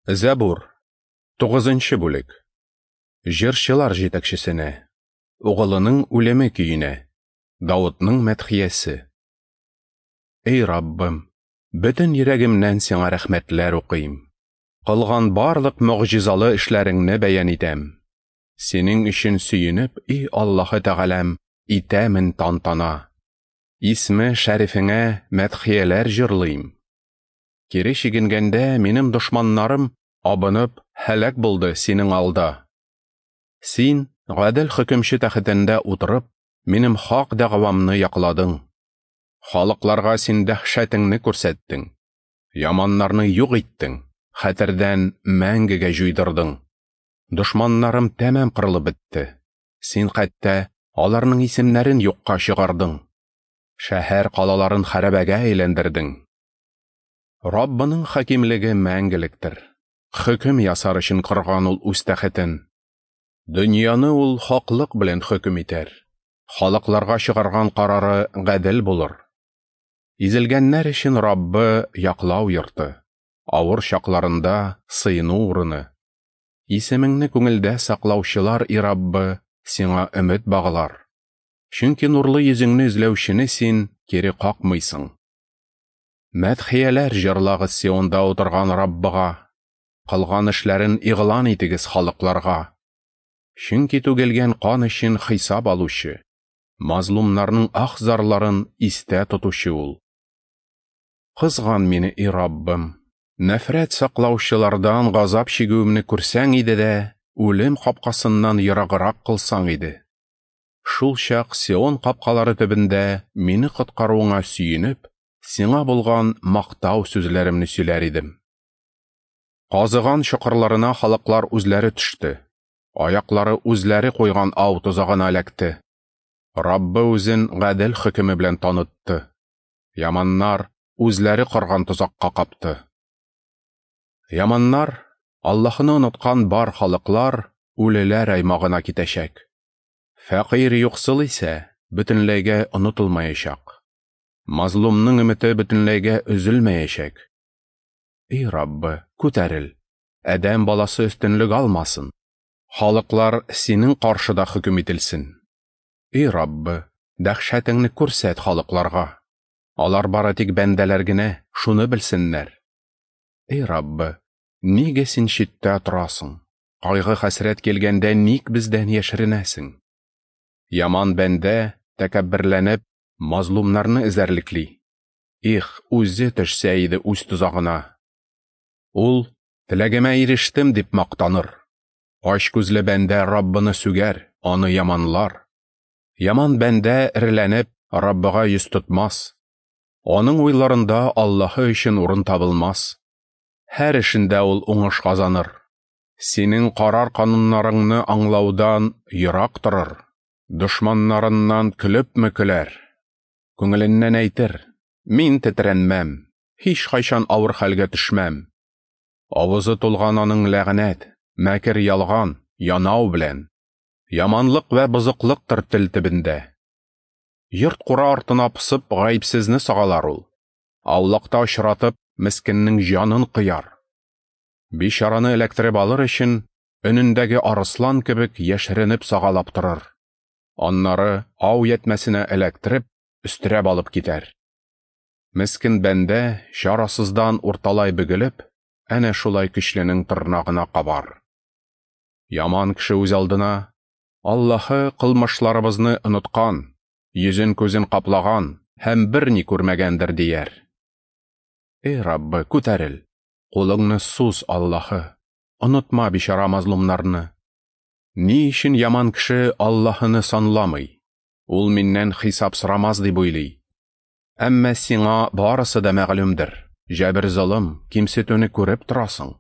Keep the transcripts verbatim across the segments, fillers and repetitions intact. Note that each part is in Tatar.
Зәбур, тугызынчы бүлек. Җырчылар җитәкчесенә, угылының үлеме көенә, Давытның мәдхиясе. Эй Раббым, бөтен йөрәгемнән сиңа рәхмәтләр укыйм. Кылган барлык могҗизалы эшләреңне бәян итәм. Синең өчен сөенеп, эй Аллаһы Тәгаләм, итәмен тантана. Исме шәрифеңә мәдхияләр җырлыйм. Кире чигенгәндә минем дошманнарым абынып һәлак булды синең алда. Син, гадел хөкемче тәхетендә утырып, минем хак дәгъвамны якладың. Халыкларга син дәһшәтеңне күрсәттең. Яманнарны юк иттең, хәтердән мәңгегә җуйдырдың. Дошманнарым тәмам кырылып бетте. Син хәтта аларның исемнәрен юкка чыгардың. Шәһәр калаларын хәрабәгә әйләндердең. Раббының хакимлеге мәңгелектер. Хөкем ясар өчен корган ул үз тәхетен. Дөньяны ул хаклык белән хөкем итәр. Халыкларга чыгарган карары гадел булыр. Изелгәннәр өчен Раббы яклау йорты, авыр чакларында сыену урыны. Исемеңне күңелдә саклаучылар, и Раббы, сиңа өмет баглар. Чөнки нурлы йөзеңне эзләүчене син кире какмыйсың. Мәдхияләр җырлагыз Сионда утырган Раббыга, кылган эшләрен игълан итегез халыкларга. Чөнки түгелгән кан өчен хисап алучы, мазлумнарның ах-зарларын истә тотучы ул. Кызган мине, и Раббым, нәфрәт саклаучылардан газап чигүемне күрсәң иде дә, үлем капкасыннан ераграк кылсаң иде. Шул чак Сион капкалары төбендә мине коткаруыңа сөенеп, сиңа булган мактау сүзләремне сөйләр идем. Казыган чокырларына халыклар үзләре төште. Аяклары үзләре куйган ау тозагына эләкте. Раббы үзен гадел хөкеме белән танытты. Яманнар үзләре корган тозакка капты. Яманнар, Аллаһны оныткан бар халыклар үлеләр аймагына китәчәк. Фәкыйрь юксыл исә бөтенләйгә онытылмаячак. Мазлумның өмете бөтенләйгә өзелмәячәк. Эй Раббы, күтәрел, адәм баласы өстенлек алмасын. Халыклар синең каршыда хөкем ителсен. Эй Раббы, дәһшәтеңне күрсәт халыкларга. Алар бары тик бәндәләр генә, шуны белсеннәр. Эй Раббы, нигә син читтә торасың? Кайгы-хәсрәт килгәндә ник бездән яшеренәсең? Яман бәндә, тәкәбберләнеп, мазлумнарны эзәрлекли. Их, үзе төшсә иде үз тозагына. Ул, теләгемә ирештем дип мактаныр. Ач күзле бәндә Раббыны сүгәр, аны яманлар. Яман бәндә эреләнеп, Раббыга йөз тотмас. Аның уйларында Аллаһы өчен урын табылмас. Һәр эшендә ул уңыш казаныр. Синең карар кануннарыңны аңлаудан ерак торыр. Дошманнарыннан көлепме көләр. Күңеленнән әйтер: мин тетрәнмәм, һич кайчан авыр хәлгә төшмәм. Авызы тулган аның ләгънәт, мәкер ялган, янау белән. Яманлык вә бозыклыктыр тел төбендә. Йорт кура артына пысып гаепсезне сагалар ул. Аулакта очратып, мескеннең җанын кыяр. Бичараны эләктереп алыр өчен, өнендәге арыслан кебек яшеренеп сагалап торыр. Аннары ау ятмәсенә эләктереп, өстерәп алып китәр. Мескен бәндә чарасыздан урталай бөгелеп, әнә шулай көчленең тырнагына кабар. Яман кеше үз алдына: Аллаһы кылмышларыбызны оныткан, йөзен күзен каплаган һәм берни күрмәгәндер дияр. Эй Раббы, күтәрел, кулыңны суз, Аллаһы, онытма бичара мазлумнарны. Ни өчен яман кеше Аллаһыны санламый? Ул миннән хисап сорамас дип уйлый. Әмма сиңа барысы да мәгълүмдер. Җәбер-золым, кимсетүне күреп торасың.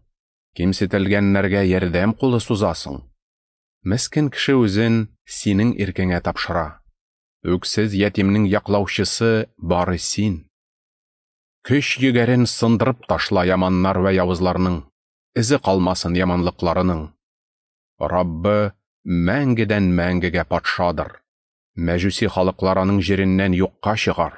Кимсетелгәннәргә ярдәм кулы сузасың. Мескен кеше үзен синең иркеңә тапшыра. Үксез ятимнең яклаучысы бары син. Көч егәрен сындырып ташла яманнар вә явызларның, эзе калмасын яманлыкларының. Раббы мәңгедән мәңгегә патшадыр. Мәҗүси халыклар аның җиреннән юкка чыгар.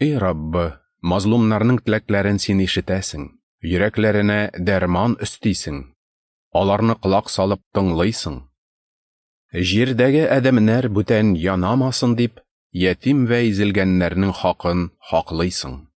Эй Раббы, мазлумнарның теләкләрен син ишетәсең. Йөрәкләренә дәрман өстисең, аларны колак салып тыңлыйсың. Җирдәге адәмнәр бүтән янамасын дип, ятим вә изелгәннәрнең хакын хаклыйсың.